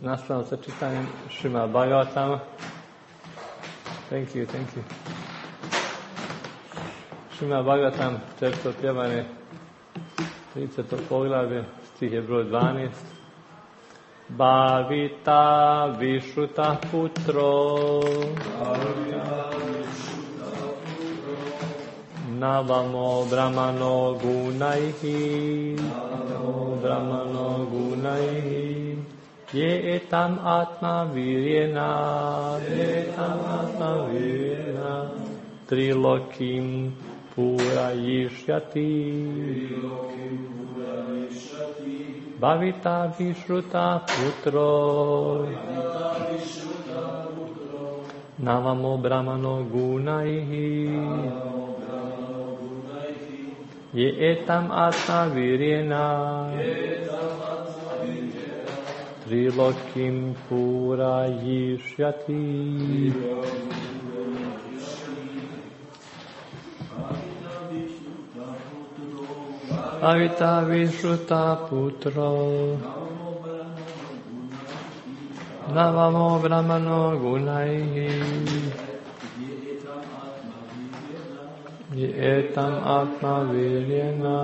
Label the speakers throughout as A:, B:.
A: nastavljamo sa čitanjem Šrimad Bhagavatama. Thank you. Šrimad Bhagavatam, četvrto pjevanje, 30. poglavlje, stih je broj 12. Bhavita Vishruta Putro Navamo Brahmano Gunaihi Ye etam atma viryena Trilokim Purayishyati Bhavita Vishruta Putro Navamo Brahmano Gunaihi Ye etam atma viryena Trilokim Purayishyati Bhavita Vishruta Putro Navamo Brahmano Gunaihi Ye etam atma viryena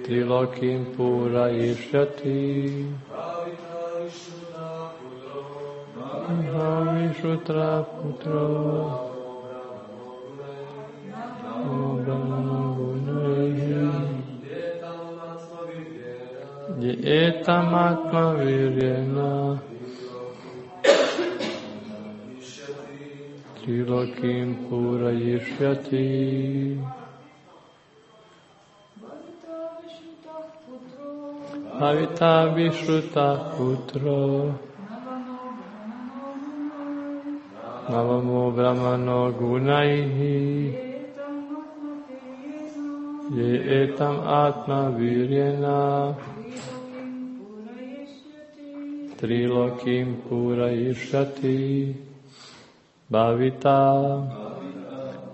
A: Trilokim Purayishyati Bhavita Vishruta Putro Ye etam atma viryena Trilokim Purayishyati Bhavita Vishruta Putro Navamo Brahmano Gunaihi Ye etam atma viryena Trilokim Purayishyati Bhavita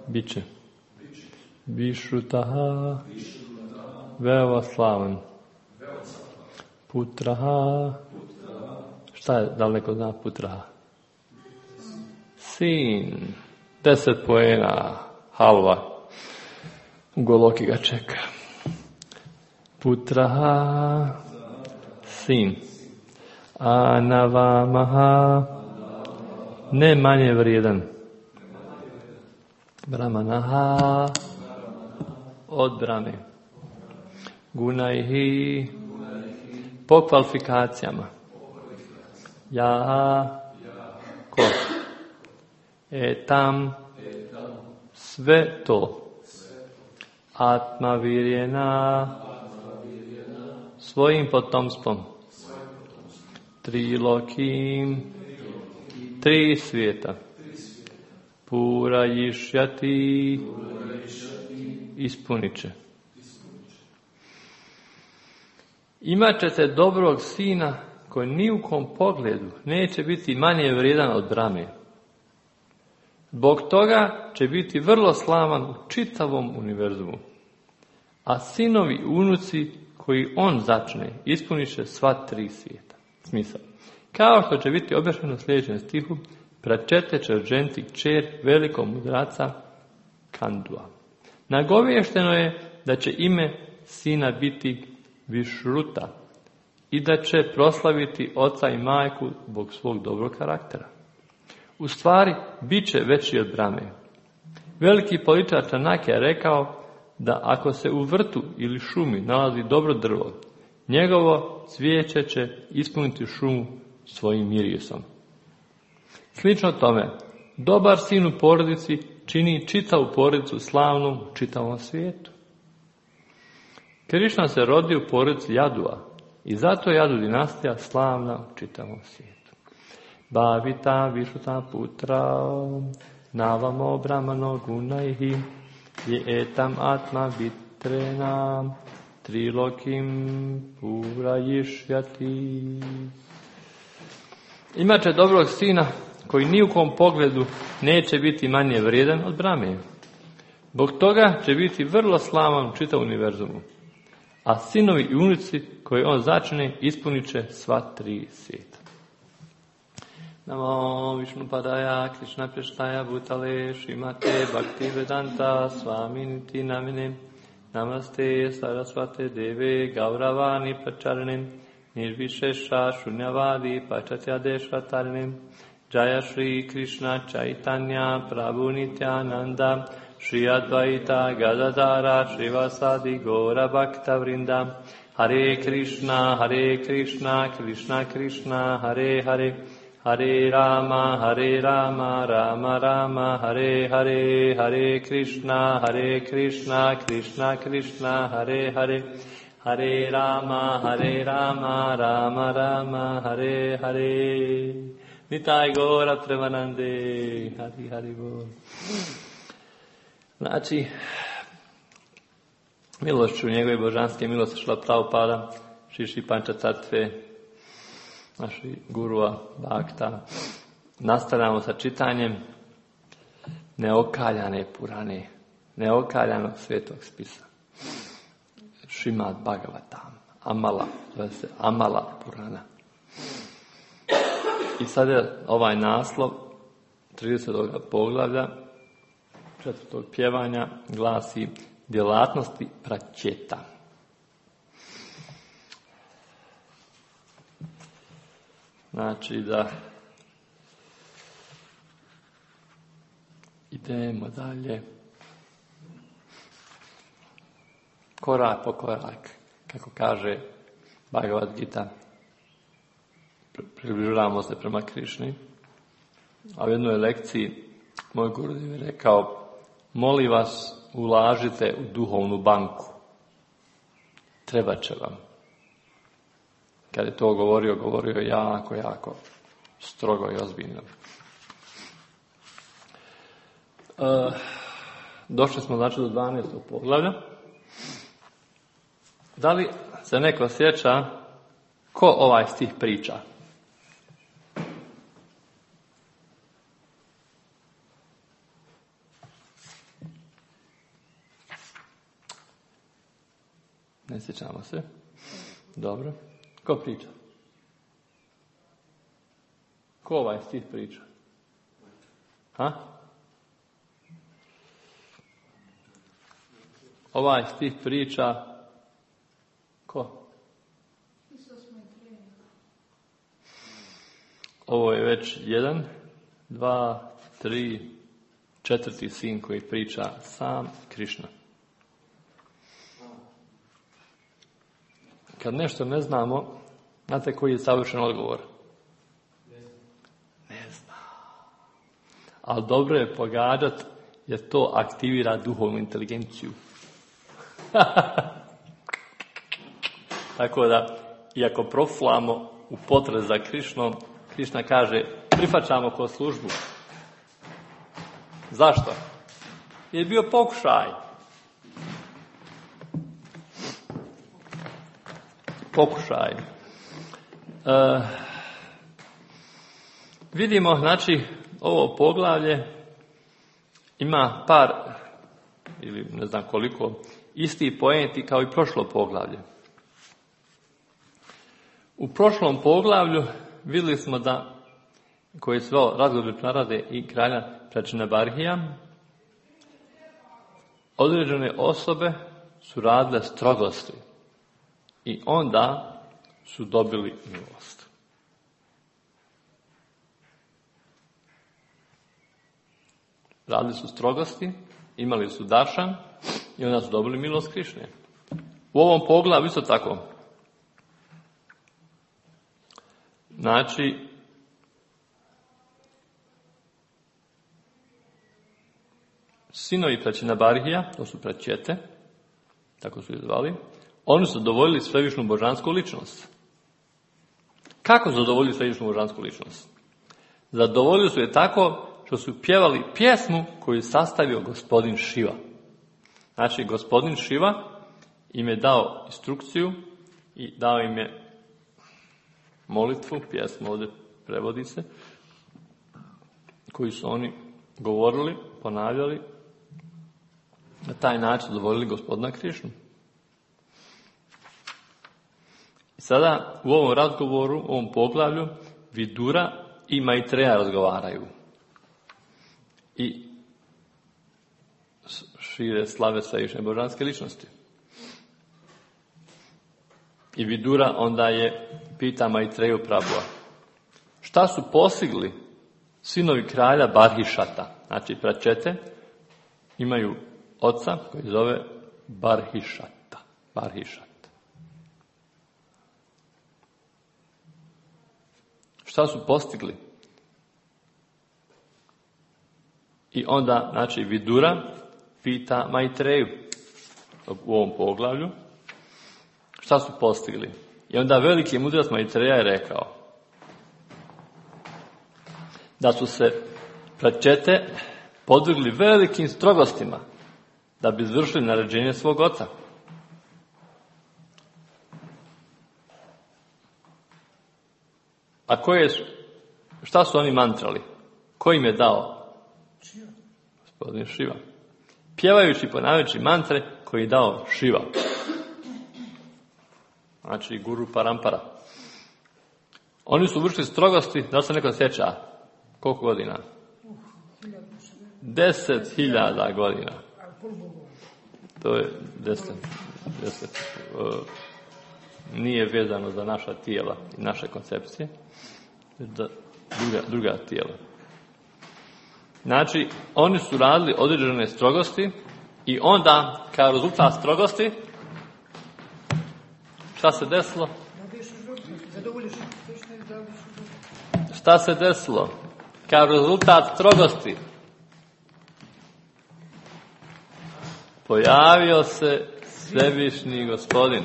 A: biće Vishrutaha veoma slavan Putraha šta je, da li neko zna Putraha? Sin 10 poena halva u Goloki ga čeka. Putraha sin Anavamaha ne manje vrijedan Brahmanaha od Brahme Gunaihi po kvalifikacijama Ja ko etam sve to Atma virjena svojim potomstvom Trilokim 3 svijeta Purayishyati ispunit će. Imat ćete dobrog sina koji ni u kom pogledu neće biti manje vrijedan od Brahme. Zbog toga će biti vrlo slavan u čitavom univerzumu. A sinovi i unuci koji on začne ispunit će sva 3 svijeta. Smisao. Kao što će biti objašnjeno u sljedećem stihu, pračete će ženiti kćer velikog mudraca Kandua. Nagoviješteno je da će ime sina biti Višruta i da će proslaviti oca i majku zbog svog dobrog karaktera. U stvari, bit će veći od Brahme. Veliki političar Čanakya je rekao da ako se u vrtu ili šumi nalazi dobro drvo, njegovo cvijeće će ispuniti šumu svojim mirisom. Slično tome, dobar sin u porodici čini čitavu porodicu slavnom u čitavom svijetu. Krišna se rodi u porodici Jadua i zato je Jadu dinastija slavna u čitavom svijetu. Bhavita Vishruta Putra Navamo Brahmano Gunaihi Ye etam atma vitrena Trilokim Purayishyati. Imaće dobrog sina koji ni u kom pogledu neće biti manje vrijedan od Brahme. Zbog toga će biti vrlo slavan u čitavom univerzumu. a sinovi i unuci koje on začine ispunit će sva 3 svijeta. Namo Višnupadaya Krishna Prestaya Bhutale Srimate Bhaktivedanta Svaminiti Namine Namaste Sarasvate Deve Gauravani Pracharane Nirvishesha Shunyavadi Pachatyadeshvatarane Jaya Shri Krishna Chaitanya Prabhu Nityananda Shri Advaita Gadadara Shrivasadi Gora Bhakta Vrinda Hare Krishna Krishna Krishna Hare Hare Hare Rama Rama Rama Hare Hare Hare Krishna Krishna Krishna Hare Hare Hare Rama Rama Rama Hare Hare Nitai Gora Premanande Hari Hari Bol. Znači, milošću njegove božanske milosti Šrila Prabhupada, Šiši Panča Tatve, naši gurua, Bhakta, nastavljamo sa čitanjem neokaljane Purane, neokaljanog svetog spisa. Šrimad Bhagavatam, Amala, zove se Amala Purana. I sad je ovaj naslov 30. poglavlja 4. pjevanja glasi djelatnosti praćeta. Znači da idemo dalje korak po korak, kako kaže Bhagavad Gita, približavamo se prema Krišni. A u jednoj lekciji moj Gurudev je rekao: molim vas, ulažite u duhovnu banku, treba će vam. Kad je to govorio je jako strogo i ozbiljno. Došli smo znači do 12. poglavlja. Da li se neko sjeća ko ovaj stih priča? Ne sjećamo se. Dobro. Ko priča? Ko ovaj stih priča? Ha? Ovaj stih priča ko? Ovo je već 1, 2, 3, 4. sin koji priča sam Krišna. Kad nešto ne znamo, znate koji je savršen odgovor? Ne znam. Ali dobro je pogađati jer to aktivira duhovnu inteligenciju. Tako da, iako proflamo u potrazi za Krišnom, Krišna kaže: prihvaćamo ko službu. Zašto? Jer je bio pokušaj. Vidimo, znači, ovo poglavlje ima par, ili ne znam koliko, isti poenti kao i prošlo poglavlje. U prošlom poglavlju vidjeli smo da, koji je sveo razgovor Narade i kralja Pračinabarhija, određene osobe su radile strogosti i onda su dobili milost. Radili su strogosti, imali su daršan i onda su dobili milost Krišne. U ovom poglavlju isto tako. Znači, sinovi Pračinabarhija, to su praćete, tako su ih zvali, oni su zadovoljili svevišnju božansku ličnost. Kako su zadovoljili svevišnju božansku ličnost? Zadovoljili su je tako što su pjevali pjesmu koju je sastavio gospodin Šiva. Znači, gospodin Šiva im je dao instrukciju i dao im je molitvu, pjesmu ovdje prevodi se, koju su oni govorili, ponavljali, na taj način zadovoljili gospodina Krišnu. Sada u ovom razgovoru, u ovom poglavlju, Vidura i Maitreja razgovaraju. I šire slave svevišnje božanske ličnosti. I Vidura onda pita Maitreju Prabhua, šta su postigli sinovi kralja Barhišata? Znači, pračete imaju oca koji zove Barhišata. Šta su postigli? I onda, znači, Vidura pita Maitreju u ovom poglavlju šta su postigli. I onda veliki mudrac Maitreja je rekao da su se pračete podvrgli velikim strogostima da bi izvršili naređenje svog oca. A šta su oni mantrali? Ko im je dao? Gospodin Šiva. Pjevajući i ponavljajući mantre koji je dao Šiva. Znači guru parampara. Oni su vršili strogosti, da se neko sjeća, koliko godina? 10.000 godina. To je 10. Nije vezano za naša tijela i naše koncepcije, za druga tijela. Znači, oni su radili određene strogosti i onda, kao rezultat strogosti, šta se desilo? Šta se desilo? Kao rezultat strogosti pojavio se svevišnji gospodin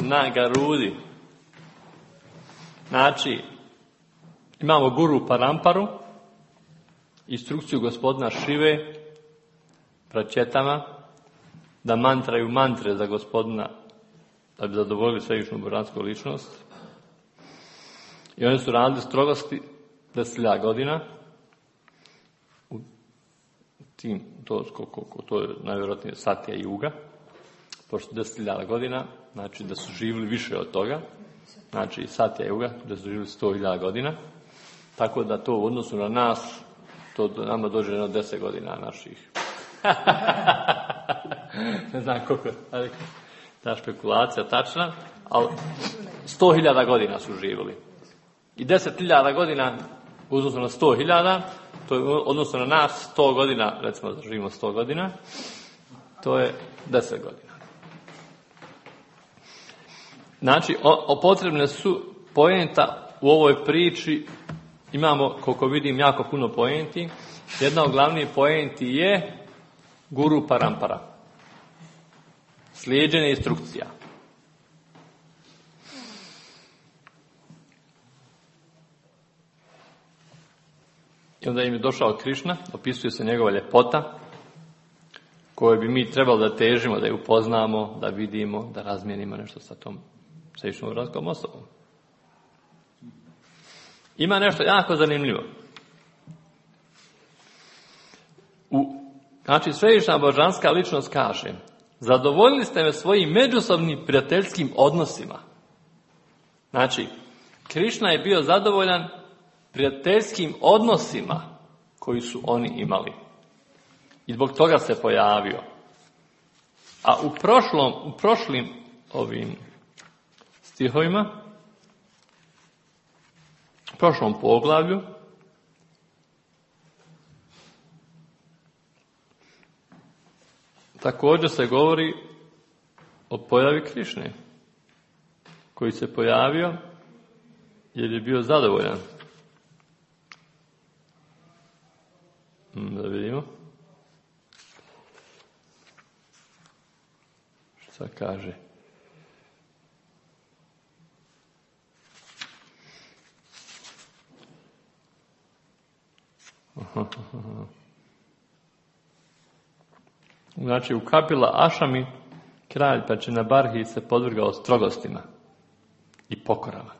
A: na Garudi. Znači, imamo guru paramparu, instrukciju gospodina Šive pračetama da mantraju mantre za gospodina da bi zadovoljili svevišnju božansku ličnost. I oni su radili strogosti 10.000 godina. To je najvjerojatnije Satya Yuga, pošto 10.000 godina, znači da su živjeli više od toga, znači Satya Yuga, da su živjeli 100.000 godina, tako da to u odnosu na nas, to nama dođe na 10 godina naših. Ne znam koliko je ta špekulacija tačna, ali 100.000 godina su živjeli. I 10.000 godina u odnosu na 100.000, to je odnosno na nas 100 godina, recimo da živimo 100 godina, to je 10 godina. Znači, potrebne su poenta u ovoj priči, imamo, koliko vidim, jako puno poenti. Jedna od glavnih poenti je guru parampara. Slijeđenje instrukcija. I onda im je došao Krišna, opisuje se njegova ljepota, koju bi mi trebali da težimo, da je upoznamo, da vidimo, da razmijenimo nešto sa tom svevišnjom božanskom osobom. Ima nešto jako zanimljivo. Znači, svevišnja božanska ličnost kaže: zadovoljili ste me svojim međusobnim prijateljskim odnosima. Znači, Krišna je bio zadovoljan prijateljskim odnosima koji su oni imali. I zbog toga se pojavio. A u prošlim ovim stihovima, u prošlom poglavlju, također se govori o pojavi Krišne, koji se pojavio jer je bio zadovoljan. Da vidimo. Šta kaže? Znači, u Kapila Ašami kralj Pračinabarhi se podvrgao strogostima i pokorama.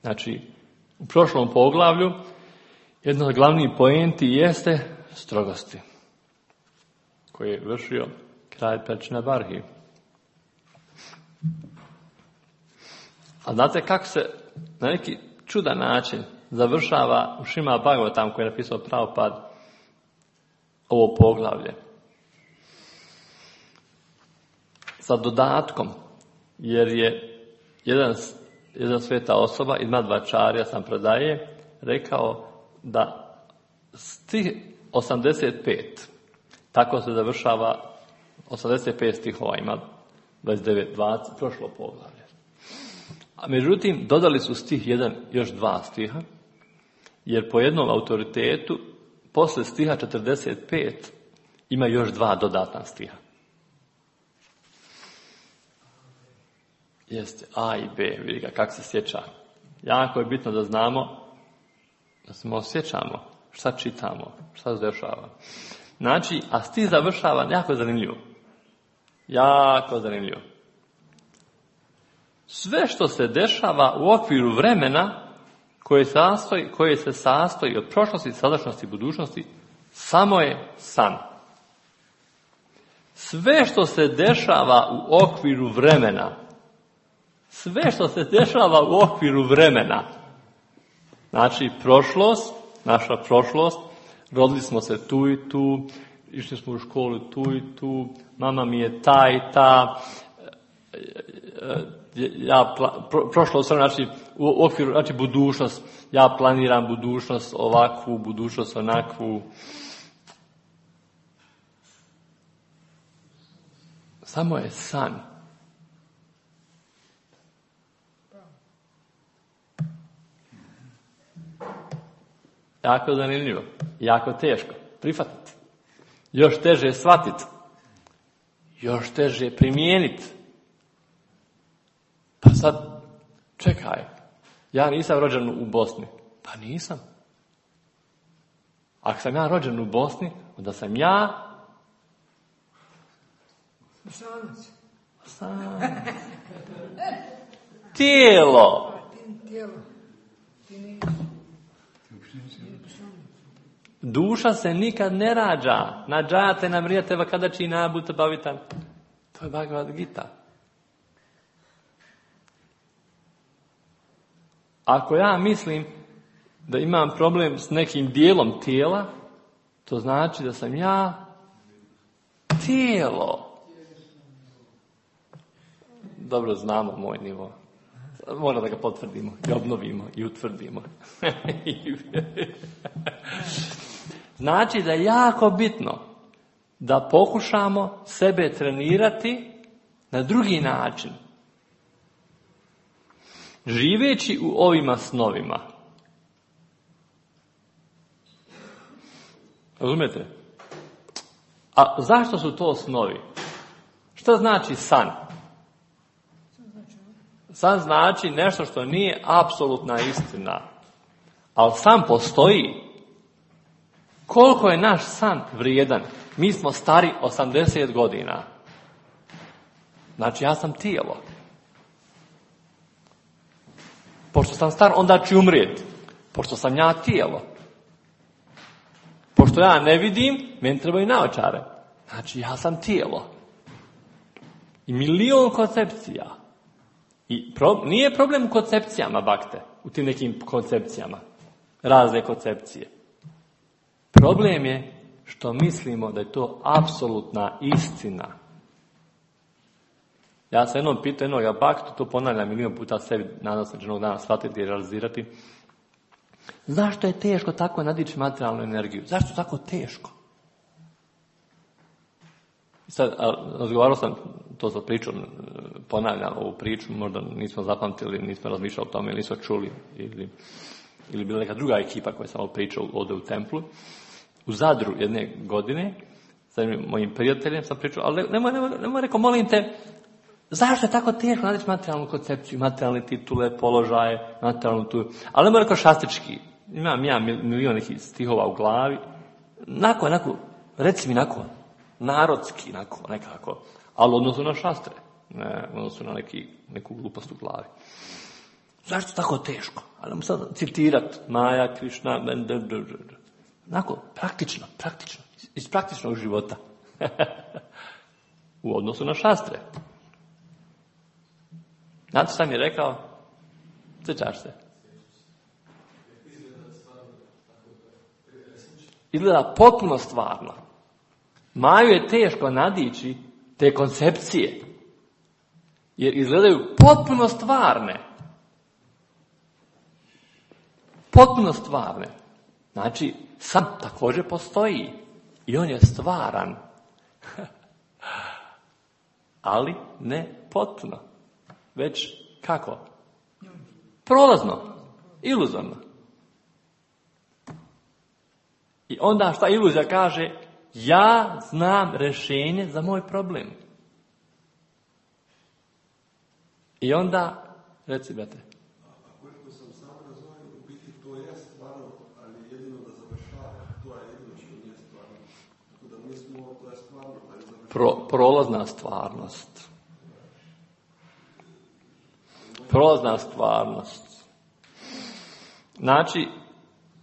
A: Znači, u prošlom poglavlju jedna od glavnih poenti jeste strogosti koje je vršio kralj Pračinabarhi. A znate kako se na neki čudan način završava u Šrimad Bhagavatam koji je napisao Prabhupada ovo poglavlje? Sa dodatkom, jer je jedan sveta osoba, Madhvacharya sam predaje, rekao da stih 85, tako se završava 85 stihova, ima 29, 20, prošlo poglavlje. A međutim, dodali su stih 1, još 2 stiha, jer po jednom autoritetu, posle stiha 45, ima još 2 dodatna stiha. Jeste A i B, vidi ga kako se sjeća. Jako je bitno da znamo, da se osjećamo šta čitamo, šta se dešava. Znači, a stih završava jako zanimljivo. Jako zanimljivo. Sve što se dešava u okviru vremena koje se sastoji od prošlosti, sadašnjosti i budućnosti, samo je san. Sve što se dešava u okviru vremena, sve što se dešava u okviru vremena, znači prošlost, naša prošlost, rodili smo se tu i tu, išli smo u školu tu i tu, mama mi je ta i ta, prošlost, znači u okviru, znači budućnost, ja planiram budućnost ovakvu, budućnost onakvu. Samo je san. Jako zanimljivo, jako teško prihvatiti. Još teže shvatiti. Još teže primijeniti. Pa sad, čekaj, ja nisam rođen u Bosni. Pa nisam. Ako sam ja rođen u Bosni, onda sam ja... Tijelo. Duša se nikad ne rađa. Nađate nam rijateva kada će i nabuta bavitan. To je Bhagavad Gita. Ako ja mislim da imam problem s nekim dijelom tijela, to znači da sam ja tijelo. Dobro znamo moj nivo. Mora da ga potvrdimo i obnovimo i utvrdimo. Znači da je jako bitno da pokušamo sebe trenirati na drugi način. Živeći u ovima snovima. Razumijete? A zašto su to snovi? Što znači san? San znači nešto što nije apsolutna istina. Ali san postoji. Koliko je naš san vrijedan? Mi smo stari 80 godina. Znači ja sam tijelo. Pošto sam star, onda ću umrijeti. Pošto sam ja tijelo. Pošto ja ne vidim, meni trebaju naočare. Znači ja sam tijelo. I milion koncepcija. I nije problem u koncepcijama, bakte. U tim nekim koncepcijama. Razne koncepcije. Problem je što mislimo da je to apsolutna istina. Ja sam jednom pitao jednog baktu, to ponavljam milion puta sebi, nadam se da će jednog dana shvatiti i realizirati. Zašto je teško tako nadići materijalnu energiju? Zašto je tako teško? I sad, razgovarao sam, to sam pričao, ponavljam ovu priču, možda nismo zapamtili, nismo razmišljali o tome, ili nismo čuli, ili bila neka druga ekipa koja sam pričao ovdje u templu. U Zadru jedne godine, sa mojim prijateljem sam pričao, ali nemoj rekao, molim te, zašto je tako teško nadići materijalnu koncepciju, materijalne titule, položaje, materijalnu tu, ali nemoj rekao šastički. Imam ja milion nekih stihova u glavi, onako, reci mi narodski, nekako, ali odnosu na šastre, ne odnosu na neku glupost u glavi. Zašto je tako teško? Ali mu sad citirat Maja, Krišna, praktično, iz praktičnog života. U odnosu na šastre. Znate šta mi je rekao? Sjećaš se? Izgleda potpuno stvarno. Maju je teško nadići te koncepcije. Jer izgledaju potpuno stvarne. Potpuno stvarne. Znači, sam također postoji. I on je stvaran. Ali ne potpuno. Već kako? Prolazno. Iluzorno. I onda šta iluzija kaže? Ja znam rješenje za moj problem. I onda, reci brate.
B: Ako sam sam razumio, u biti to je stvarno, ali jedino da završava, to je jedino što nije stvarno. Tako da mi smo, to je stvarno, ali završava.
A: Prolazna stvarnost. Prolazna stvarnost. Znači,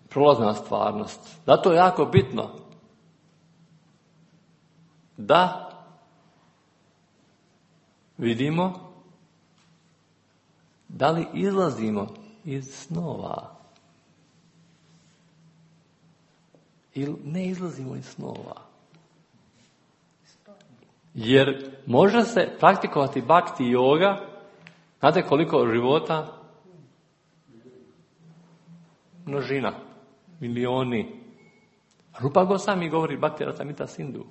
A: prolazna stvarnost. Zato je jako bitno da vidimo da li izlazimo iz snova ili ne izlazimo iz snova. Jer može se praktikovati bhakti yoga, znate koliko života? Množina, milioni. Rupa Goswami govori Bhakti Rasamrita Sindhu.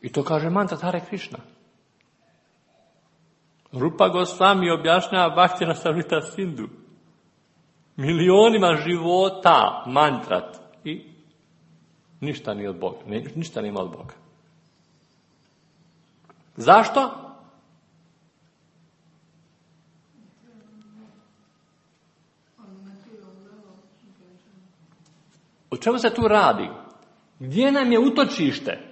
A: I to kaže mantra Hare Krishna. Rupa Goswami objašnjava Bhakti Rasamrita Sindhu. Milionima života mantrat. I ništa nije od Boga. Ništa nema od Boga. Zašto? O čemu se tu radi? Gdje nam je utočište?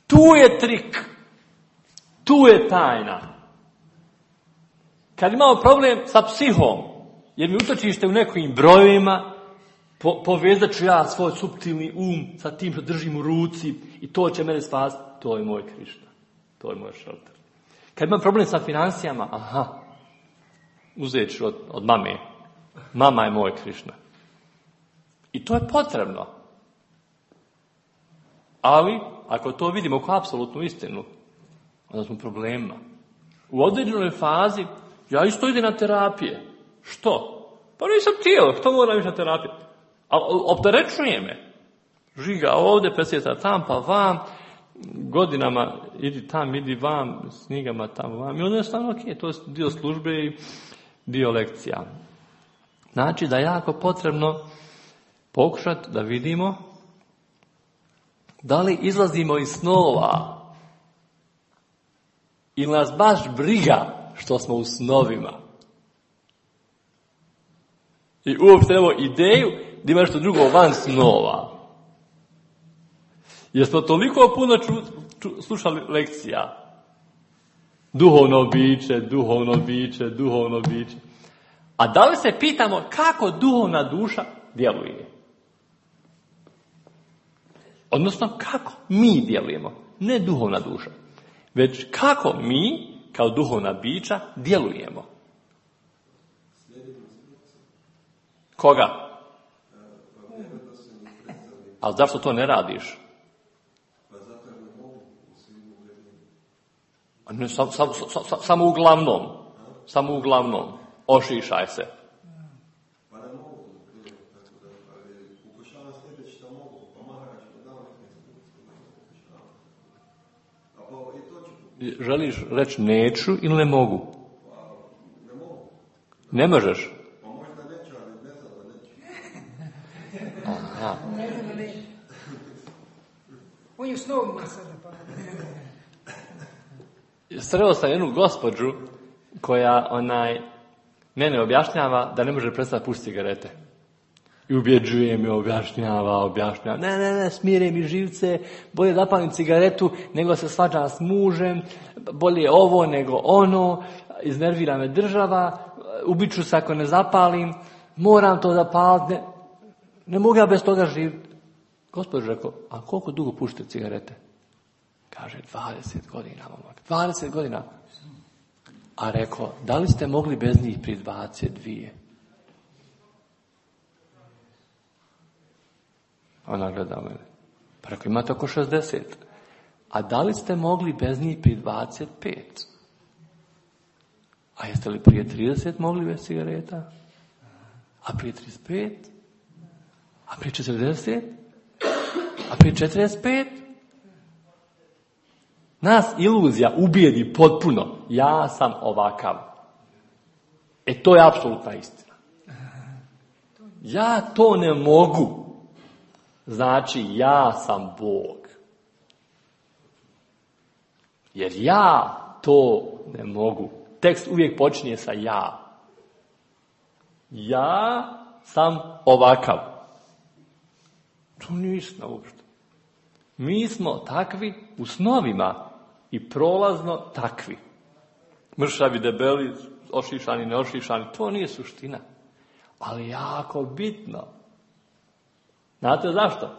A: Tu je trik. Tu je tajna. Kad imamo problem sa psihom, jer mi utočište u nekim brojevima, povezat ću ja svoj suptilni um sa tim što držim u ruci i to će mene spasiti, to je moj Krišna. To je moj šelter. Kad imam problem sa financijama, uzet ću od mame. Mama je moj Krišna. I to je potrebno. Ali, ako to vidimo kao apsolutnu istinu, onda smo problemima. U određenoj fazi, ja isto idem na terapije. Što? Pa nisam tijelo, što moram ići na terapiju? Ali opterećuje me. Žiga ovdje, presjeta tam, pa vam, godinama idi tam, idi vam, snigama tam, vam. I onda je stvarno ok, to je dio službe i dio lekcija. Znači da je jako potrebno pokušati da vidimo da li izlazimo iz snova ili nas baš briga što smo u snovima. I uopšte evo ideju da ima nešto drugo van snova. Jer smo toliko puno slušali lekcija. Duhovno biće, duhovno biće, duhovno biće. A da li se pitamo kako duhovna duša djeluje? Odnosno kako mi djelujemo. Ne duhovna duša. Već kako mi, kao duhovna bića, djelujemo. Koga? Ali zašto to ne radiš? Samo uglavnom. Samo uglavnom. Ošišaj se. Želiš reći neću ili ne mogu?
B: Ne mogu.
A: Ne možeš?
B: Pa možda neću, ali ne znam da neću.
A: Aha.
C: Ne znam da neću. On je u snovima sada pa.
A: Sreo sam jednu gospođu koja mene objašnjava da ne može prestati pušiti cigarete. I ubjeđuje me, objašnjava. Ne, smire mi živce, bolje zapalim cigaretu nego se svađam s mužem, bolje ovo nego ono, iznervira me država, ubiću se ako ne zapalim, moram to zapaliti, ne mogu ja bez toga živjeti. Gospodin rekao, a koliko dugo pušite cigarete? Kaže, 20 godina, momak. 20 godina. A rekao, da li ste mogli bez njih pri 22? Ona gleda mene. Pa rekao, imate oko 60. A da li ste mogli bez njih pri 25? A jeste li prije 30 mogli bez cigareta? A prije 35? A prije 40? A prije 45? Nas iluzija ubijedi potpuno. Ja sam ovakav. To je apsolutna istina. Ja to ne mogu. Znači, ja sam Bog. Jer ja to ne mogu. Tekst uvijek počinje sa ja. Ja sam ovakav. To nije istina uopšte. Mi smo takvi u snovima i prolazno takvi. Mršavi, debeli, ošišani, neošišani, to nije suština. Ali jako bitno. Znate zašto?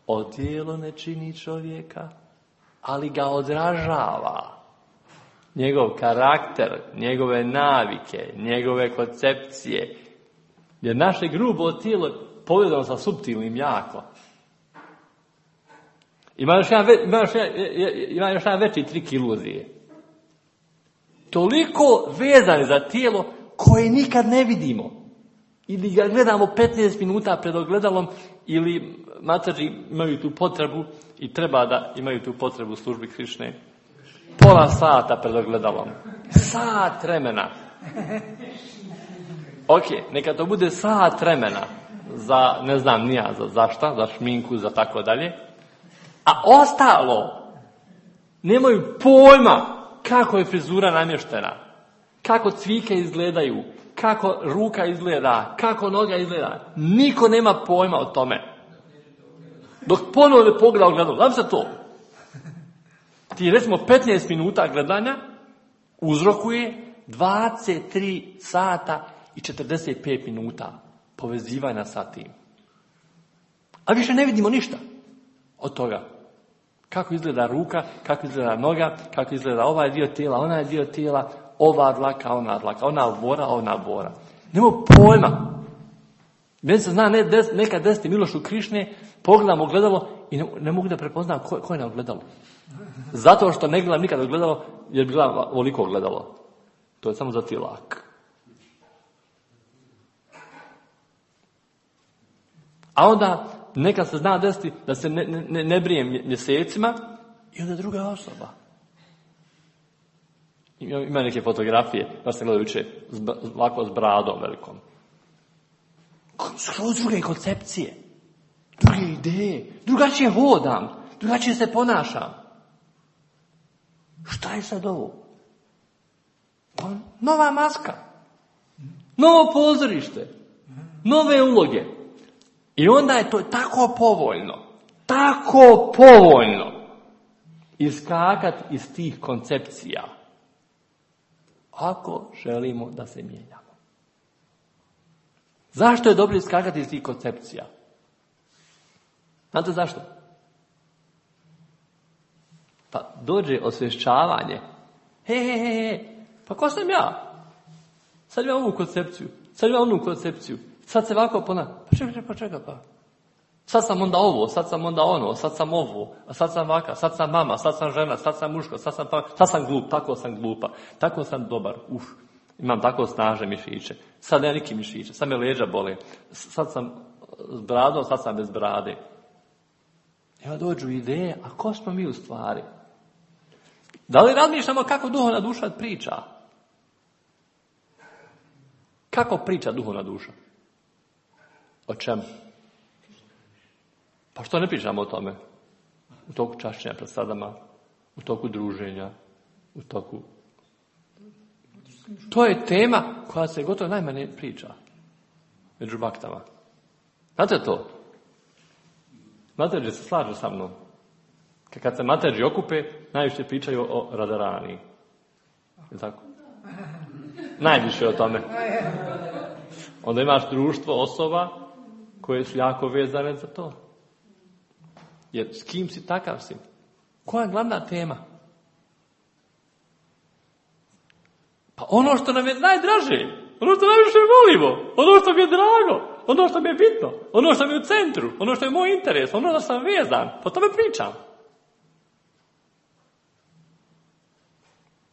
A: Odijelo ne čini čovjeka, ali ga odražava. Njegov karakter, njegove navike, njegove koncepcije. Jer naše grubo tijelo povezano sa suptilnim jako. Ima još jedan veći trik iluzije. Toliko vezani za tijelo koje nikad ne vidimo. Ili ga gledamo 15 minuta pred ogledalom, ili macađi imaju tu potrebu i treba da imaju tu potrebu u službi Krišne. Pola sata pred ogledalom. Sat vremena. Ok, neka to bude sat vremena za, ne znam nija za šta, za šminku, za tako dalje. A ostalo nemaju pojma kako je frizura namještena, kako cvike izgledaju, kako ruka izgleda, kako noga izgleda. Niko nema pojma o tome. Dok ponovo ne pogleda ogledalo. Znam se to. Ti recimo 15 minuta gledanja uzrokuje 23 sata i 45 minuta povezivanja sa tim. A više ne vidimo ništa od toga. Kako izgleda ruka, kako izgleda noga, kako izgleda ovaj dio tijela, onaj dio tijela, ova dlaka, ona dlaka, ona bora. Nemamo pojma. Meni se zna nekad desiti Milošu Krišne, pogledam ogledalo i ne mogu da prepoznam ko je na ogledalo. Zato što ne gledam nikad ogledalo, jer bi gledam ovoliko ogledalo. To je samo za tilak. A onda nekad se zna desiti da se ne brijem mjesecima i onda druga osoba. Ima neke fotografije, baš sam gledao jučer, ovako s bradom velikom. Skroz druge koncepcije, druge ideje, drugačije hodam, drugačije se ponašam. Šta je sad ovo? Nova maska, novo pozorište, nove uloge. I onda je to tako povoljno iskakati iz tih koncepcija. Ako želimo da se mijenjamo. Zašto je dobro iskakati iz tih koncepcija? Znate zašto? Pa dođe osvješćavanje. Pa ko sam ja? Sad imam ovu koncepciju, sad imam onu koncepciju. Sad se ovako pa čekaj. Sad sam onda ovo, sad sam onda ono, sad sam ovo, a sad sam ovaka, sad sam mama, sad sam žena, sad sam muško, sad sam glup, tako sam glupa, tako sam dobar, imam tako snažne mišiće, sad nema niki mišiće, sad me leđa bole, sad sam s bradom, sad sam bez brade. Evo dođu ideje, a ko smo mi u stvari? Da li razmišljamo kako duhovna duša priča? Kako priča duhovna duša? O čemu? Pa što ne pričamo o tome? U toku čašćenja pred sadama, u toku druženja, u toku... To je tema koja se gotovo najmanje priča među baktama. Znate to? Materđe se slažu sa mnom. Kad se materđi okupe, najviše pričaju o Radarani. Je tako? Najviše o tome. Onda imaš društvo osoba koje su jako vezane za to. Jer s kim si, takav si. Koja je glavna tema? Pa ono što nam je najdraže, ono što najviše volimo, ono što mi je drago, ono što mi je bitno, ono što mi je u centru, ono što je moj interes, ono što sam vezan, po tome pričam.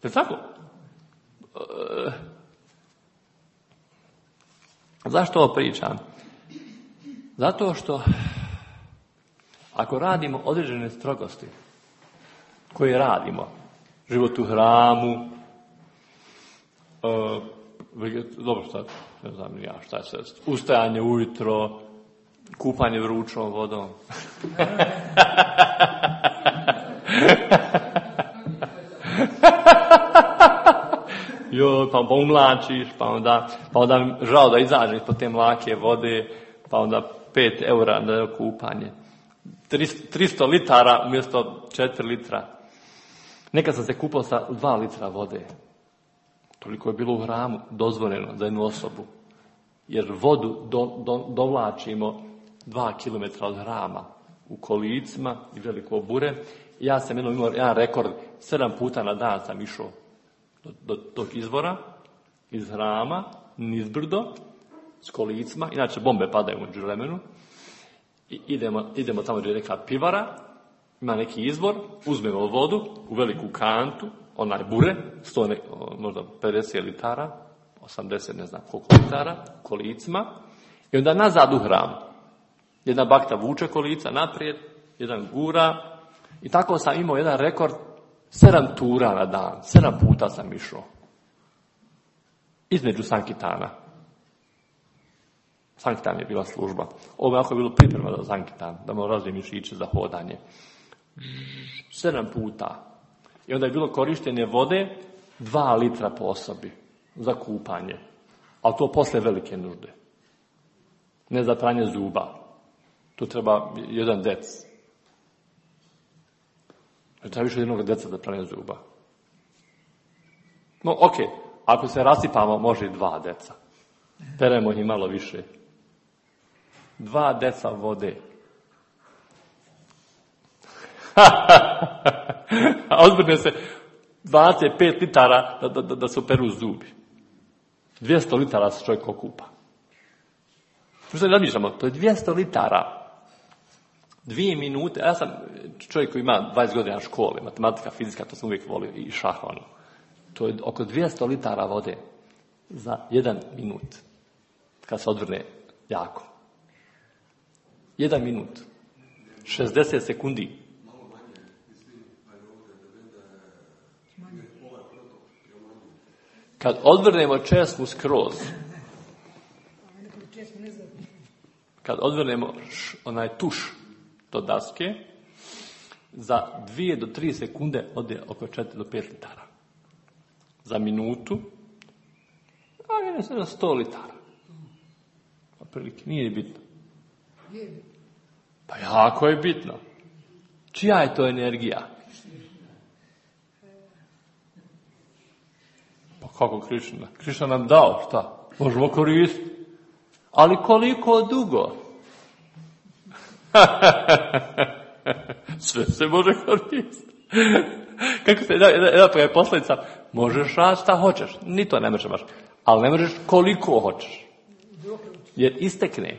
A: Je tako? Zašto ovo pričam? Zato što ako radimo određene strogosti koje radimo, život u hramu, dobro sad, ne znam ja šta je sad, ustajanje ujutro, kupanje vrućom vodom. Pa umlačiš, pa onda žao da izađeš po te mlake vode, pa onda 5 eura na kupanje. 300 litara umjesto 4 litra. Nekad sam se kupao sa 2 litra vode. Toliko je bilo u hramu dozvoljeno za jednu osobu. Jer vodu dovlačimo 2 km od hrama u kolicima i veliko bure. Ja sam imao jedan rekord, 7 puta na dan sam išao do tog izvora, iz hrama, nizbrdo, s kolicima, inače bombe padaju u vremenu, i idemo tamo gdje je neka pivara, ima neki izvor, uzmemo vodu u veliku kantu, onaj bure, možda 50 litara, 80, ne znam koliko litara, kolicima, i onda nazad u hram. Jedna bakta vuče kolica naprijed, jedan gura, i tako sam imao jedan rekord, 7 tura na dan, 7 puta sam išao. Između Sankitana. Sankitan je bila služba. Ovo je ako je bilo priprema za Sankitan, da mu razvije mišiće za hodanje. 7 puta. I onda je bilo korištenje vode 2 litra po osobi za kupanje. Ali to posle velike nužde. Ne za pranje zuba. Tu treba 1 dec. Treba više jednog deca za pranje zuba. No, ok, ako se rasipamo, može i 2 deca. Peremo ih malo više. 2 deca vode. A ozbiljno se 25 litara da se operu zubi. 200 litara se čovjek okupa. Što se razmišljamo? To je 200 litara. 2 minute, ja sam čovjek koji ima 20 godina škole, matematika, fizika, to sam uvijek volio, i šah, ono. To je oko 200 litara vode za 1 minut, kad se odvrne jako. 1 minut. 60 sekundi. Kad odvrnemo česmu skroz, kad odvrnemo onaj tuš do daske, za 2 do 3 sekunde ode oko 4 do 5 litara. Za minutu, a je na 100 litara. Prilike, nije bitno. Pa jako je bitno. Čija je to energija? Pa kako Krišna? Krišna nam dao, šta? Možemo koristiti. Ali koliko dugo? Sve se može koristiti. Kako se jedna posljedica, možeš raditi šta hoćeš. Ni to ne možeš baš. Ali ne možeš koliko hoćeš. Jer istekne.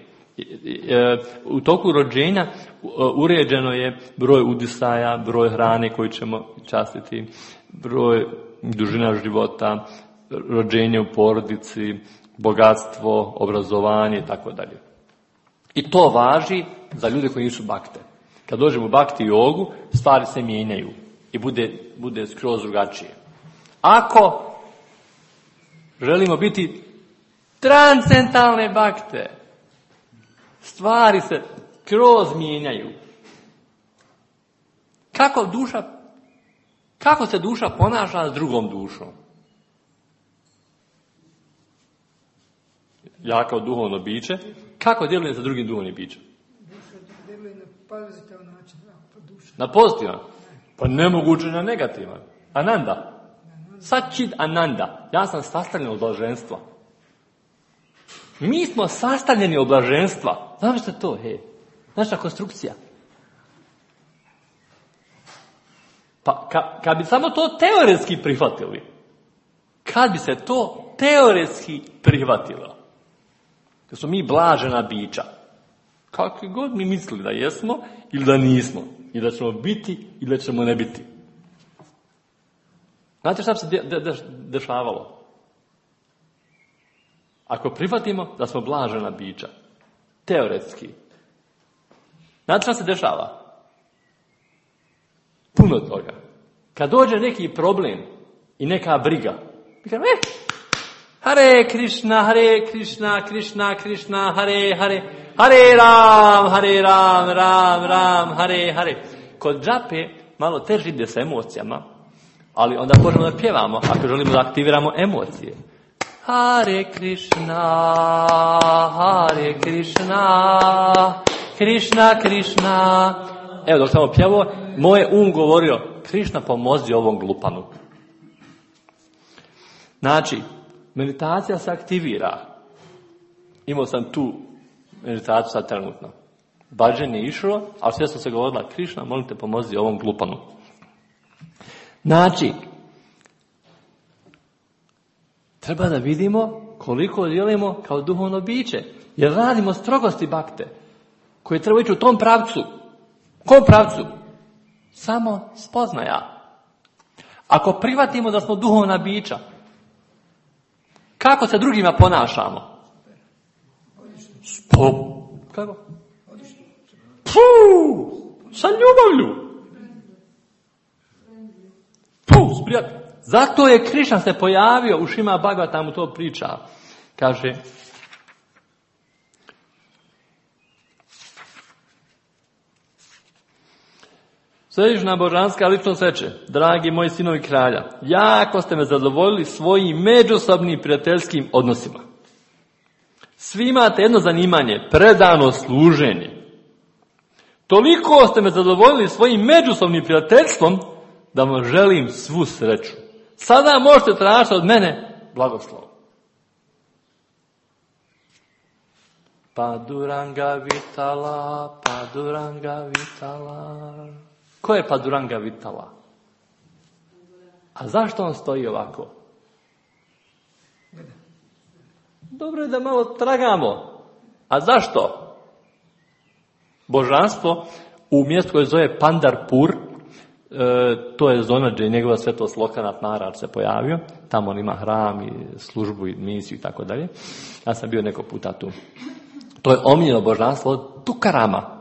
A: U toku rođenja uređeno je broj udisaja, broj hrane koju ćemo častiti, broj dužina života, rođenje u porodici, bogatstvo, obrazovanje i tako dalje. I to važi za ljude koji nisu bakte. Kad dođemo u bakti jogu, stvari se mijenjaju i bude skroz drugačije. Ako želimo biti transcendentalne bakte, stvari se skroz mijenjaju. Kako se duša ponaša s drugom dušom? Ja kao duhovno biće, kako djelujem sa drugim duhovnim bićem?
C: Duša djeluje na pozitivan način.
A: Na pozitivan? Pa nemoguće na negativan. Ananda. Sačid Ananda. Ja sam sastavljen od blaženstva. Mi smo sastavljeni od blaženstva. Znaš što je to? Naša konstrukcija. Pa kad bi samo to teoretski prihvatili, kad bi se to teoretski prihvatilo. Da smo mi blažena bića. Kakvi god mi mislili da jesmo ili da nismo. I da ćemo biti ili da ćemo ne biti. Znate šta bi se dešavalo? Ako prihvatimo da smo blažena bića. Teoretski. Znate šta se dešava? Puno toga. Kad dođe neki problem i neka briga, mi kažemo, Hare Krishna, Krishna, Krishna, Hare Hare, Hare Ram, Ram, Hare Hare. Kod džape malo teže ide sa emocijama, ali onda možemo da pjevamo ako želimo da aktiviramo emocije. Hare Krishna, Krishna, Krishna. Evo dok sam pjevao, moj govorio, Krishna pomozi ovom glupanu. Znači, meditacija se aktivira. Imao sam tu meditaciju sad trenutno. Bhajan je išao, ali sve sam se govorila, Krishna, molim te pomozi ovom glupanu. Znači, treba da vidimo koliko djelujemo kao duhovno biće. Jer radimo strogosti bakte, koje treba ići u tom pravcu. Kom pravcu? Samo spoznaja. Ako prihvatimo da smo duhovna bića, kako se drugima ponašamo? Kako? Sa ljubavlju. Zato je Krišna se pojavio u Šima Bhagavatamu, to priča. Kaže, Svevišnja božanska ličnost reče, dragi moji sinovi kralja, jako ste me zadovoljili svojim međusobnim prijateljskim odnosima. Svi imate jedno zanimanje, predano služenje. Toliko ste me zadovoljili svojim međusobnim prijateljstvom da vam želim svu sreću. Sada možete tražiti od mene blagoslov. Paduranga Vitala, Paduranga Vitala. Ko je Paduranga Vitala? A zašto on stoji ovako? Dobro je da malo tragamo. A zašto? Božanstvo u mjestu koje zove Pandarpur, to je zona gdje je njegova svetost Lokanath Maharaj se pojavio. Tamo on ima hram i službu i misiju i tako dalje. Ja sam bio neko puta tu. To je omiljeno božanstvo od Tukarama.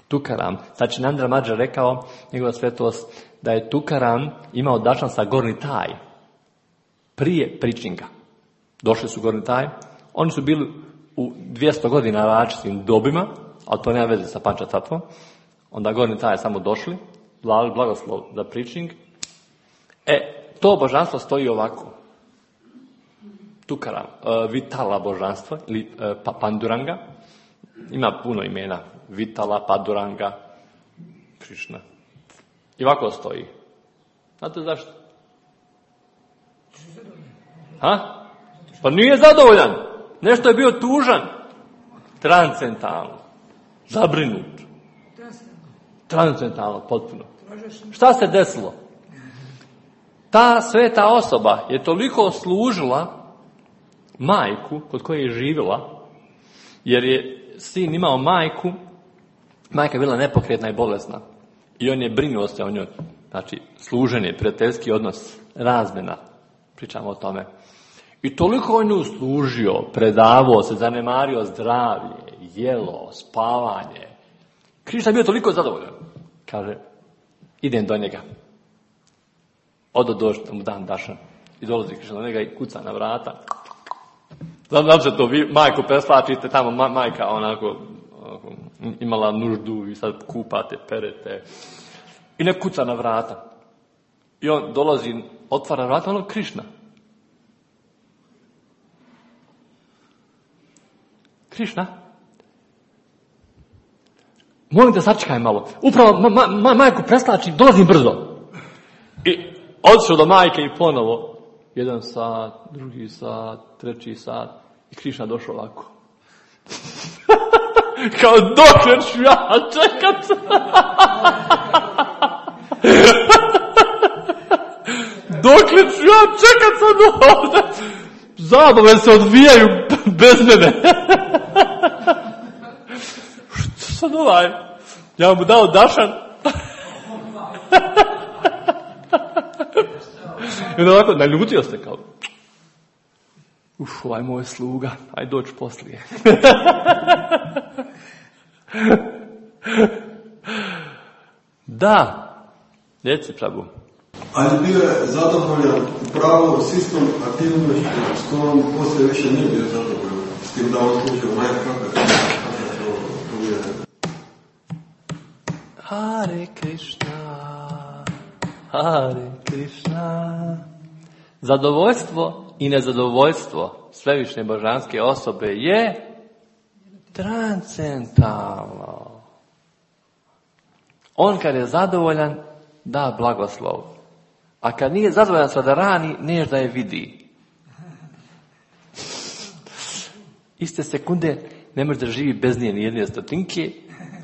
A: Tukaram. Znači, Nandra Mađa rekao, njegova svetost, da je Tukaram imao dašan sa Gorni Taj prije Pričinga. Došli su Gorni Taj. Oni su bili u 200 godina različitim dobima, ali to nema veze sa Pančatatvom. Onda Gorni Taj samo došli, blagoslov za Pričing. To božanstvo stoji ovako. Tukaram, Vitala božanstvo, ili Panduranga. Ima puno imena. Vitala, Paduranga, Krišna. I ovako stoji. Znate zašto? Pa nije zadovoljan. Nešto je bio tužan. Transcendentalno. Zabrinut. Transcendentalno, potpuno. Šta se desilo? Ta sveta osoba je toliko služila majku kod koje je živjela, jer je sin imao majku, majka je bila nepokretna i bolesna. I on je brinuo se o njoj. Znači, služenje, prijateljski odnos, razmjena. Pričamo o tome. I toliko on nju služio, predavao se, zanemario zdravlje, jelo, spavanje. Krišna je bio toliko zadovoljan. Kaže, idem do njega. Odo doći da mu dam dašan. I dolazi Krišna do njega i kuca na vrata. Znam se to, vi majku preslačite, tamo majka onako imala nuždu i sad kupate, perete. I ne kuca na vrata. I on dolazi, otvara vrata, ono Krišna. Krišna? Molim te, sačekaj malo. Upravo majku preslačim, dolazim brzo. I odšao do majke i ponovo. 1 sat, 2 sat, 3 sat. I Krišna došao ovako. Kao dokle ću ja čekat. dokle ću ja čekat sad ovdje? Zabave se odvijaju bez mene. Što sad ja mu dao dašan. I onda ovako, naljutio se kao, ovaj moj sluga, aj doći poslije. Da, reci Prabhu.
B: Ali bio je zadovoljan upravo s istom aktivnošću, s kojom poslije više nije bio zadovoljan. S tim da on slučaju kako je.
A: Hare Krishna, Hare Krishna. Zadovoljstvo i nezadovoljstvo svevišnje božanske osobe je transcendentalno. On kad je zadovoljan, da blagoslov. A kad nije zadovoljan sa da rani, neš da je vidi. Iste sekunde ne može da živi bez nje ni jedne stotinke,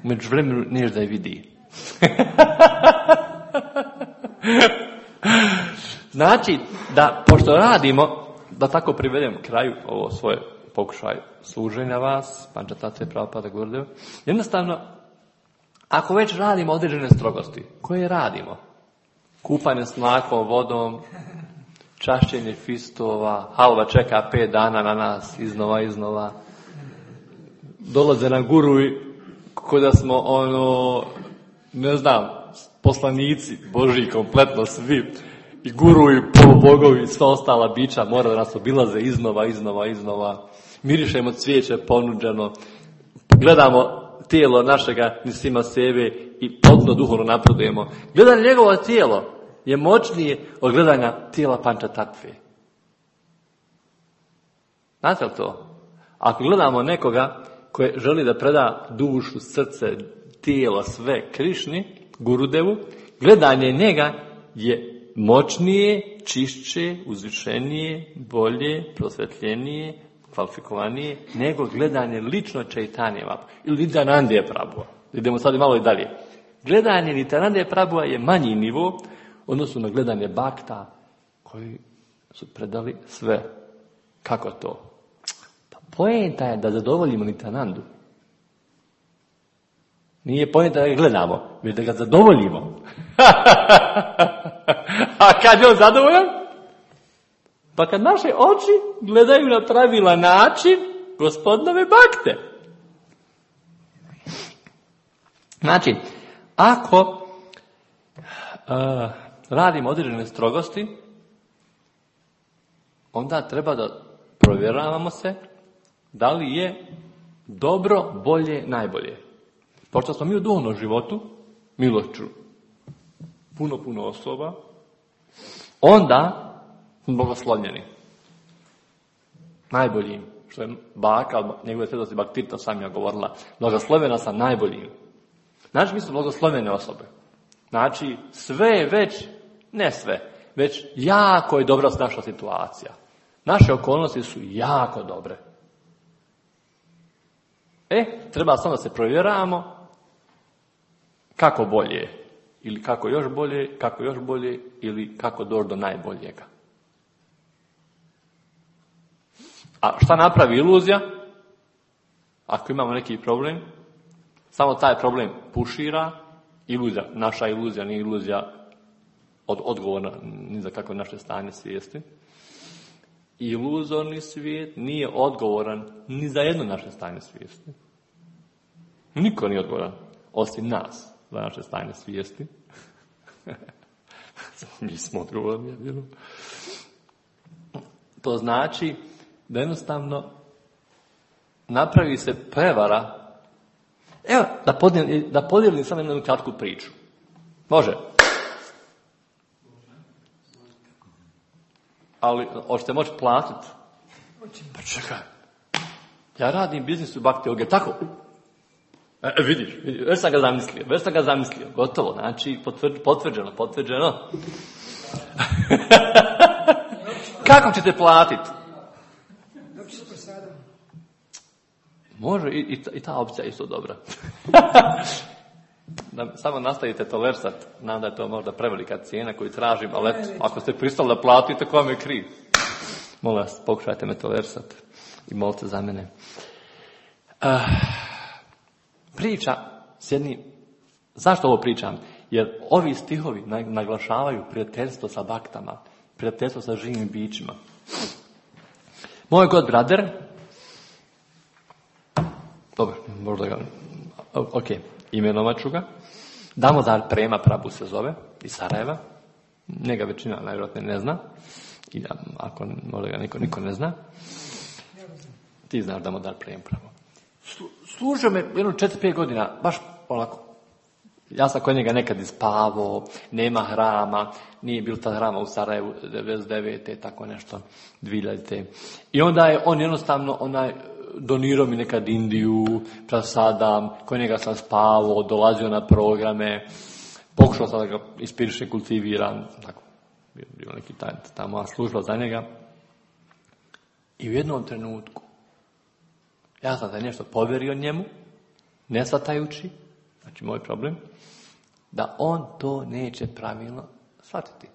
A: među vremenu neš da je vidi. Znači, da, pošto radimo, da tako privedem kraju ovo svoje pokušaj služenja vas, Pančatate Prabhupada Gurudeva, jednostavno, ako već radimo određene strogosti, koje radimo? Kupanje s mlakom, vodom, čašćenje fistova, halva čeka 5 dana na nas, iznova. Dolaze na guru i ko da smo, poslanici Božji, kompletno svi, i guru i polubogovi i sva ostala bića mora da nas obilaze iznova. Mirišemo cvijeće ponuđeno, gledamo tijelo našega Nisima sebe i potpuno duhovno napredujemo. Gledanje njegovo tijelo je moćnije od gledanja tijela Pančatatve. Znate li to? Ako gledamo nekoga koji želi da preda dušu, srce, tijelo, sve Krišni, Gurudevu, gledanje njega je moćnije, čišće, uzvišenije, bolje, prosvetljenije, kvalifikovanije, nego gledanje lično Čaitanije Mahaprabhu ili Nityanande Prabhuva. Idemo sad malo i dalje. Gledanje Nityanande Prabhuva je manji nivo odnosno na gledanje bakta koji su predali sve. Kako to? Pa poenta je da zadovoljimo Nityanandu. Nije poenta da ga gledamo, već da ga zadovoljimo. A kad je on zadovoljan? Pa kad naše oči gledaju na pravilan način Gospodinove bakte. Znači, ako radimo određene strogosti, onda treba da provjeravamo se da li je dobro, bolje, najbolje. Pošto smo mi u duhovnom životu, milošću, puno osoba, onda smo blagoslovljeni. Najboljim, što je baka, njegove svetosti Bhaktita Samija govorila, blagoslovljena sam najboljim. Znači, mi smo blagoslovljene osobe. Znači, sve je već, ne sve, već jako je dobra naša situacija. Naše okolnosti su jako dobre. Treba samo da se provjeravamo kako bolje, ili kako još bolje, ili kako doći do najboljega. A šta napravi iluzija? Ako imamo neki problem, samo taj problem pušira, iluzija, naša iluzija nije iluzija odgovorna ni za kakvo naše stanje svijesti. Iluzorni svijet nije odgovoran ni za jedno naše stanje svijesti. Niko nije odgovoran, osim nas, za naše stanje svijesti. Mi smo odgovorni. To znači da jednostavno napravi se prevara. Evo, da podijelim samo jednu kratku priču. Može? Ali, hoćete moći platiti? Pa čekaj. Ja radim biznis u Bhakti Yoga, tako? Vidiš, već sam ga zamislio. Gotovo, znači, potvrđeno. Kako ćete platiti? Može, i ta opcija je isto dobra. da samo nastavite tolerisat, znam da je to možda prevelika cijena koju tražim, ali eto, ako ste pristali da platite, ko vam je kriv? Molim vas, pokušajte me tolerisat i molite za mene. Priča s jednim, zašto ovo pričam? Jer ovi stihovi naglašavaju prijateljstvo sa baktama, prijateljstvo sa živim bićima. Moj god brother, dobro, možda ga, ok, imenovat ću ga, Damodar Prema Prabhu se zove, iz Sarajeva, njega većina najvjerojatnije ne zna, i ako možda ga niko ne zna, ti znaš Damodar Prema Prabhu. Služio me jedno 4-5 godina, baš onako. Ja sam kod njega nekad ispavao, nema hrama, nije bilo ta hrama u Sarajevu 99. tako nešto, 2000. I onda je on jednostavno donirao mi nekad Indiju, prasadam, kod njega sam spavao, dolazio na programe, pokušao sam da ga inspirišem, kultiviram, tako, bio neki ta moja služba za njega. I u jednom trenutku, ja sam da nešto povjerio njemu, ne shvatajući, znači moj problem, da on to neće pravilno shvatiti.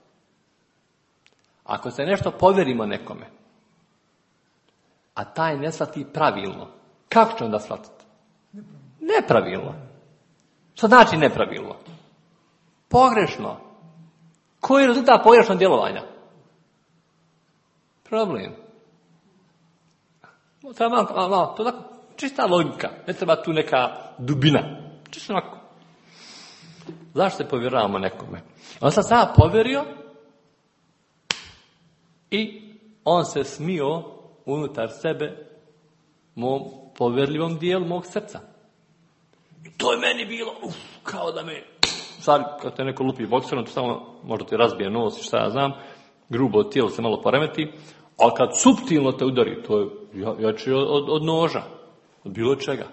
A: Ako se nešto povjerimo nekome, a taj ne shvati pravilno, kako će onda shvatiti? Nepravilno. Što znači nepravilno? Pogrešno. Koji je rezultat pogrešnog djelovanja? Problem. Treba malo, to je tako čista logika, ne treba tu neka dubina. Čisto onako. Zašto se povjeravamo nekome? On sam sada povjerio i on se smio unutar sebe mom povjerljivom dijelu mog srca. I to je meni bilo, kao da me, sad kad te neko lupi bokserom, to samo možda ti razbije nos i šta ja znam, grubo tijelo se malo poremeti, ali kad suptilno te udari, to je jače od noža, od bilo čega.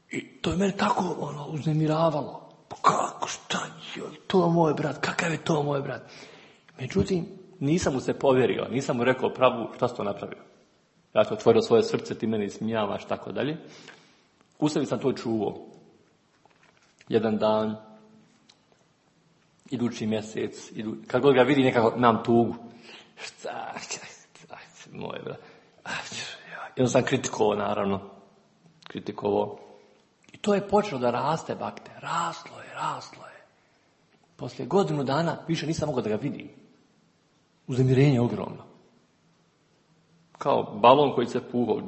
A: I to je mene tako uznemiravalo. Kako, šta je to moj brat, kakav je to moj brat? Međutim, nisam mu se povjerio, nisam mu rekao Prabhu šta si to napravio. Ja sam otvorio svoje srce, ti mene ismijavaš, tako dalje. U sebi sam to čuvao. Jedan dan, idući mjesec, kad god ga vidi nekako imam tugu. Šta, moj brat. Jedno sam kritikovao, naravno. Kritikovao. I to je počelo da raste bakte. Raslo je. Poslije godinu dana više nisam mogao da ga vidim. Uznemirenje ogromno. Kao balon koji se puhao.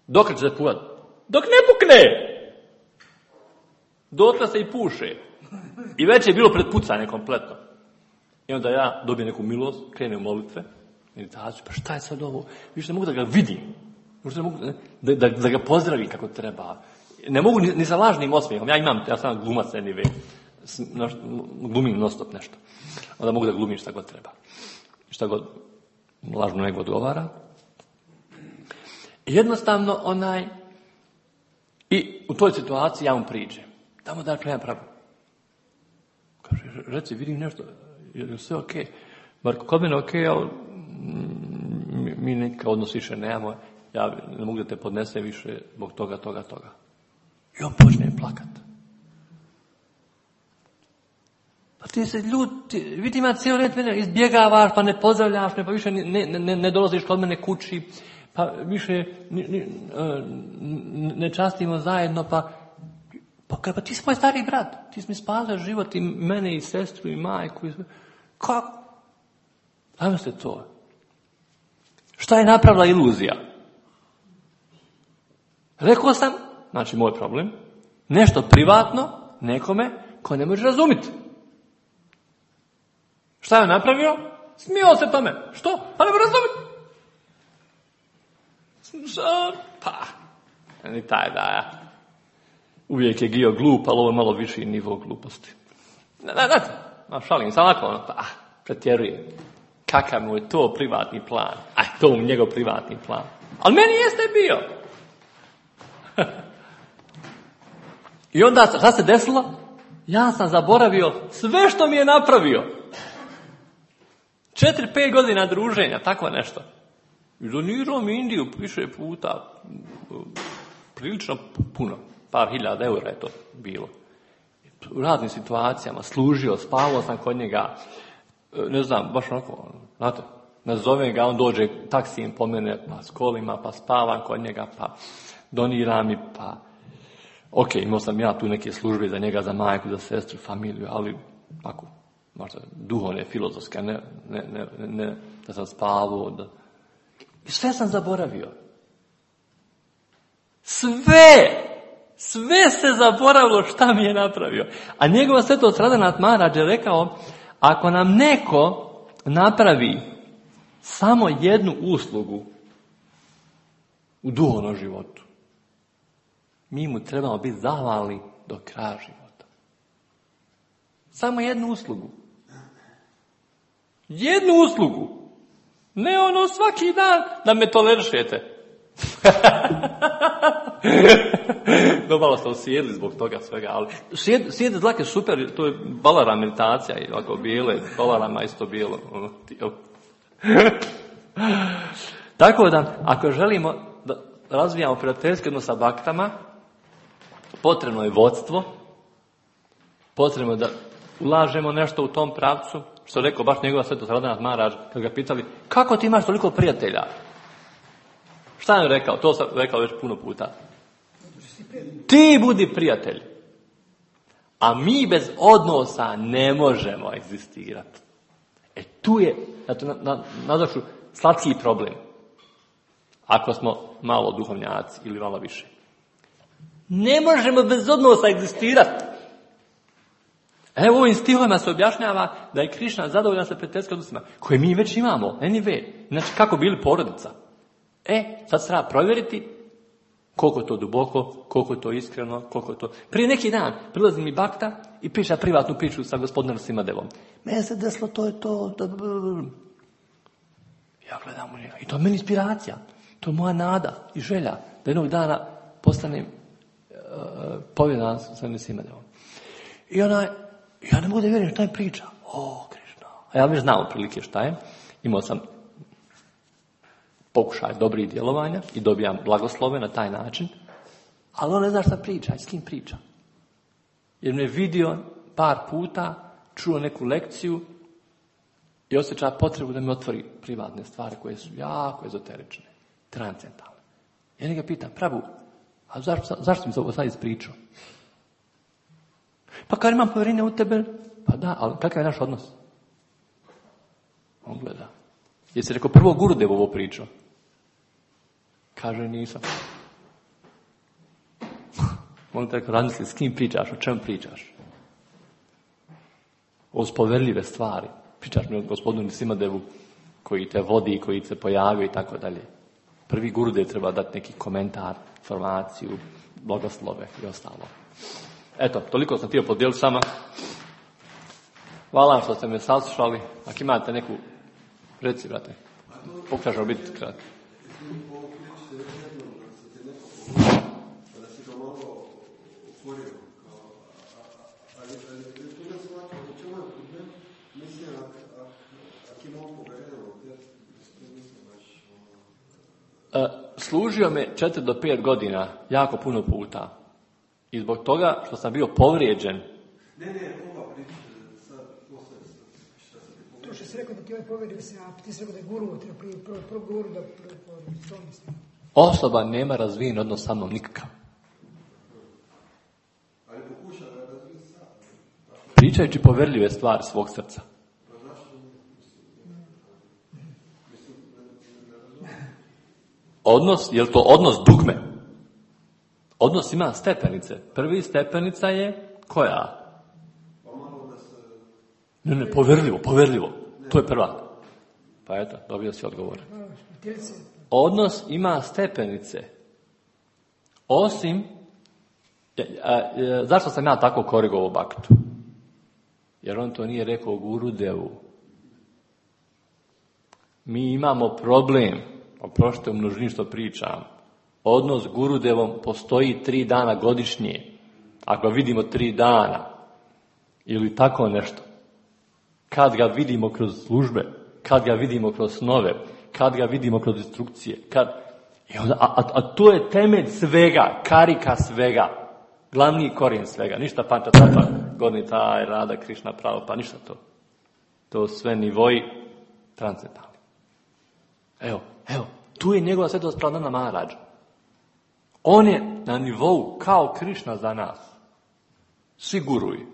A: Dok će se puhati? Dok ne pukne! Dotle se i puše. I već je bilo pred pucanje kompletno. I onda ja dobijem neku milost, krenem u molitve, meditaciju, pa šta je sad ovo? Više ne mogu da ga vidim. Možda ne mogu da ga pozdravim kako treba. Ne mogu ni sa lažnim osmijehom. Ja sam glumac anyway. Glumim non stop nešto. Onda mogu da glumim šta god treba. Šta god lažno nego odgovara. I jednostavno i u toj situaciji ja mu priđem. Tamo da ja Prabhu. Kaže, reci, vidim nešto. Je sve okej? Marko, kod mene okej, ali mi neka odnos više nemamo. Ja ne mogu da te podnesem više zbog toga. I on počne plakat. Pa ti se ljuti, vidim ja cijelo vrijeme mene izbjegavaš, pa ne pozdravljaš me, pa više ne dolaziš kod mene kući, pa više ne častimo zajedno, pa ti si moj stari brat, ti si mi spasio život i mene i sestru i majku. Kako? Ajmo se to. Šta je napravila iluzija? Rekao sam, znači moj problem, nešto privatno nekome ko ne može razumjeti. Šta je napravio? Smio se tome. Što? Pa ne može razumjeti. Pa, ni taj da ja. Uvijek je Gio glup, ali ovo je malo viši nivo gluposti. Šalim, sam onako, pretjerujem. Kakav mu je to privatni plan? To mu njegov privatni plan. Ali meni jeste bio. I onda, šta se desilo? Ja sam zaboravio sve što mi je napravio. 4-5 godina druženja, tako nešto. I donirao mi Indiju više puta, prilično puno, par hiljada eura je to bilo. U raznim situacijama, služio, spavao sam kod njega, ne znam, baš onako, znate, nazovem ga, on dođe taksijem po mene, pa s kolima, pa spavam kod njega, pa donira mi, pa... Ok, imao sam ja tu neke službe za njega, za majku, za sestru, familiju, ali ako, možda duhovne, filozofske, ne da sam spavao, da... I sve sam zaboravio. Sve se zaboravilo šta mi je napravio. A njegova svetost Radanat Maharaj je rekao, ako nam neko napravi samo jednu uslugu u duhovnom životu, mi mu trebamo biti zahvalni do kraja života. Samo jednu uslugu. Jednu uslugu. Ne ono svaki dan da me tolerišete. Dobro ste osjedili zbog toga svega, ali sjede dlake super, to je balara meditacija, i ovako bijele, balarama isto bijelo. Tako da, ako želimo da razvijamo prijateljski odnos sa baktama, potrebno je vodstvo, potrebno da ulažemo nešto u tom pravcu, što je rekao baš njegova svetost Radanat Maharaj, kad ga pitali, kako ti imaš toliko prijatelja? Šta je rekao? To sam rekao već puno puta. Ti budi prijatelj. A mi bez odnosa ne možemo egzistirati. Tu je, nazvaću, slatki problem. Ako smo malo duhovnjaci ili malo više. Ne možemo bez odnosa egzistirati. Evo ovim stihovima se objašnjava da je Krišna zadovoljan sa prijateljskim odnosima, koje mi već imamo, anyway. Znači, kako bili porodica. Sad se treba provjeriti koliko je to duboko, koliko je to iskreno, koliko je to... Prije neki dan prilazi mi bakta i priča privatnu priču sa gospodinom Simadevom. Mene se desilo, to je to... Ja gledam u njega. I to je meni inspiracija. To je moja nada i želja da jednog dana postanem povjedan sa Simadevom. I ja ne mogu da vjerujem šta je priča. Krišna. A ja već znao prilike šta je. Imao sam pokušaj dobrih djelovanja i dobijam blagoslove na taj način, ali on ne zna šta priča i s kim priča. Jer me vidio par puta, čuo neku lekciju i osjeća potrebu da mi otvori privatne stvari koje su jako ezoterične, transcendentalne. Ja njega pitam, Prabhu, a zašto mi se ovo sad ispričao? Pa kad imam povjerenje u tebe, pa da, ali kakav je naš odnos? On gleda. Jesi rekao prvo Gurudev ovo pričao? Kaže, nisam. Molim te rekao, razmisli, s kim pričaš, o čem pričaš? O spoverljive stvari. Pričaš mi o gospodinu Simadevu koji te vodi, koji se pojavio i tako dalje. Prvi Gurudev treba dati neki komentar, informaciju, blagoslove i ostalo. Eto, toliko sam htio podijeliti s vama. Hvala vam što ste me saslušali. Ako imate neku... Reci, brate. Pokušaš biti kratko. Služio me 4 do 5 godina, jako puno puta. I zbog toga što sam bio povrijeđen.
C: To što si rekao da ti ovaj povjerio se, a ti si rekao da je guru, prvo guru da to mislim.
A: Osoba nema razvijen odnos sa mnom nikakav. Pričajući povjerljive stvari svog srca. Odnos, je li to odnos dugme? Odnos ima stepenice. Prvi stepenica je koja? Ne, povjerljivo. To je prva. Pa eto, dobio si odgovor. Odnos ima stepenice. Osim, zašto sam ja tako korigovao baktu? Jer on to nije rekao Gurudevu. Mi imamo problem, oprošte u množini što pričam, odnos s Gurudevom postoji 3 dana godišnje. Ako vidimo 3 dana, ili tako nešto, kad ga vidimo kroz službe, kad ga vidimo kroz snove, kad ga vidimo kroz instrukcije, a to je temelj svega, karika svega, glavni korijen svega, ništa Panča Tatva, Gornji taj, Rada, Krišna, pravo, pa ništa to. To sve nivoji transcendentalni. Evo, tu je njegova svetost Pranana Maharađa. On je na nivou kao Krišna za nas. Svi guruji.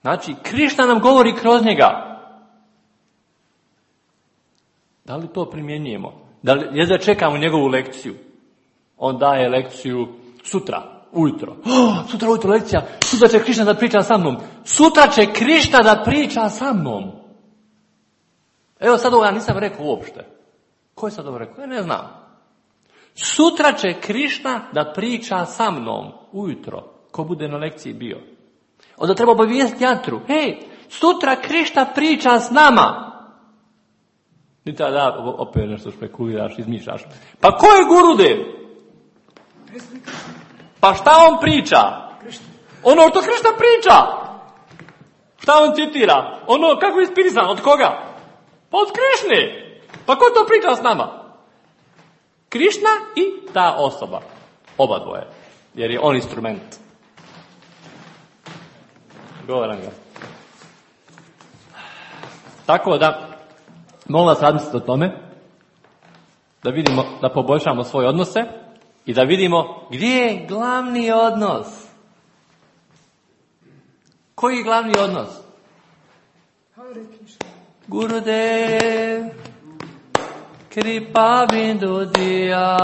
A: Znači, Krišna nam govori kroz njega. Da li to primjenjujemo? Da li jedva čekamo njegovu lekciju? On daje lekciju sutra, ujutro. Sutra ujutro lekcija. Sutra će Krišna da priča sa mnom. Sutra će Krišna da priča sa mnom. Evo sad ovo ja nisam rekao uopšte. Ko je sad ovo rekao? Ja ne znam. Sutra će Krišna da priča sa mnom ujutro. Ko bude na lekciji bio. Onda treba obavijestiti Jatru. Hej, sutra Krišna priča s nama. Ni tada opet nešto špekuliraš, izmišljaš. Pa ko je Gurudev? Pa šta on priča? Ono što Krišna priča. Šta on citira? Ono kako je inspirisan, od koga? Pa od Krišne. Pa ko to priča s nama? Krišna i ta osoba. Oba dvoje. Jer je on instrument. Govoram ga. Tako da, molim vas razmisliti o tome, da vidimo, da poboljšamo svoje odnose i da vidimo gdje je glavni odnos. Koji je glavni odnos? Gurudev Kripa bindu diya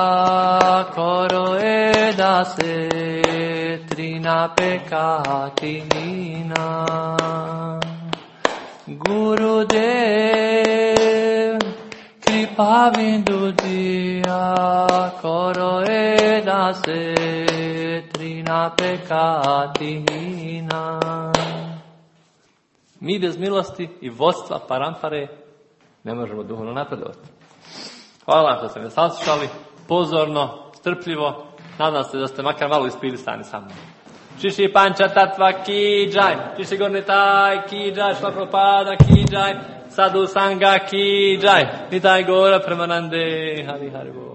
A: karo edase trina pekati nina. Gurudev Kripa bindu diya karo edase trina pekati nina. Mi bez milosti i vodstva parampare ne možemo duhovno napredovati. Hvala što ste me saslušali, pozorno, strpljivo. Nadam se da ste makar malo inspirisani sa mnom. Šiši Panča Tatva ki džaj, Šiši Gornji taj ki džaj, Šla Prabhupada ki džaj, Sadhu Sangha ki džaj, Nitai Gora Premanande, Hari Hari Bol.